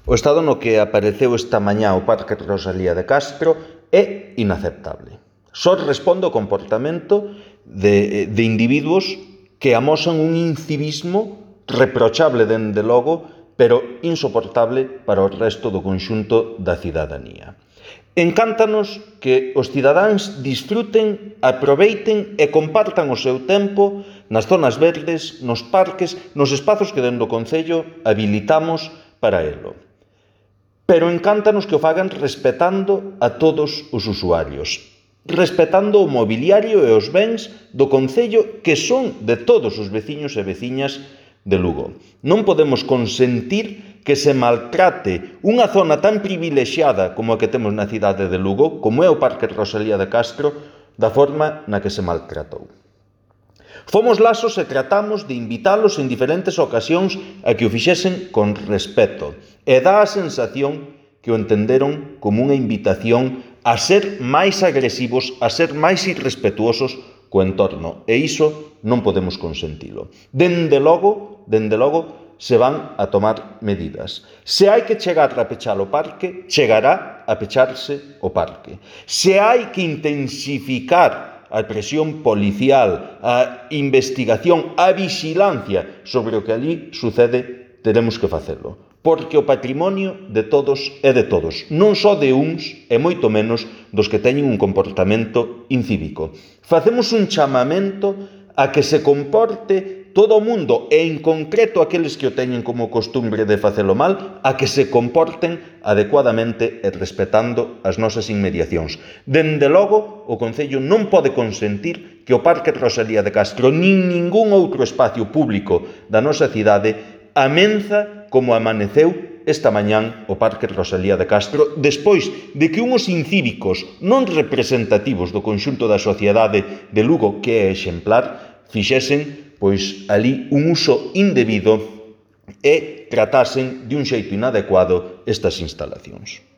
O estado no que apareceu esta mañá o Parque Rosalía de Castro é inaceptable. Só responde ao comportamento de individuos que amosan un incivismo reprochable dende logo, pero insoportable para o resto do conxunto da cidadanía. Encántanos que os cidadáns disfruten, aproveiten e compartan o seu tempo nas zonas verdes, nos parques, nos espazos que dende o Concello habilitamos para elo. Pero encántanos que o fagan respetando a todos os usuarios, respetando o mobiliario e os bens do Concello que son de todos os veciños e veciñas de Lugo. Non podemos consentir que se maltrate unha zona tan privilexiada como a que temos na cidade de Lugo, como é o Parque Rosalía de Castro, da forma na que se maltratou. Fomos lasos e tratamos de invitalos en diferentes ocasións a que o fixesen con respeto, e dá a sensación que o entenderon como unha invitación a ser máis agresivos, a ser máis irrespetuosos co entorno, e iso non podemos consentilo. Dende logo, se van a tomar medidas. Se hai que chegar a pechar o parque, chegará a pecharse o parque. Se hai que intensificar a presión policial, a investigación, a vixilancia sobre o que ali sucede, teremos que facelo. Porque o patrimonio de todos é de todos, non só de uns e moito menos dos que teñen un comportamento incívico. Facemos un chamamento a que se comporte todo o mundo, e en concreto aqueles que o teñen como costumbre de facelo mal, a que se comporten adecuadamente e respetando as nosas inmediacións. Dende logo, o Concello non pode consentir que o Parque Rosalía de Castro nin ningún outro espacio público da nosa cidade amenza como amaneceu esta mañán o Parque Rosalía de Castro, despois de que unhos incívicos non representativos do conxunto da sociedade de Lugo, que é exemplar, fixesen pois ali un uso indebido e tratasen de un xeito inadecuado estas instalacións.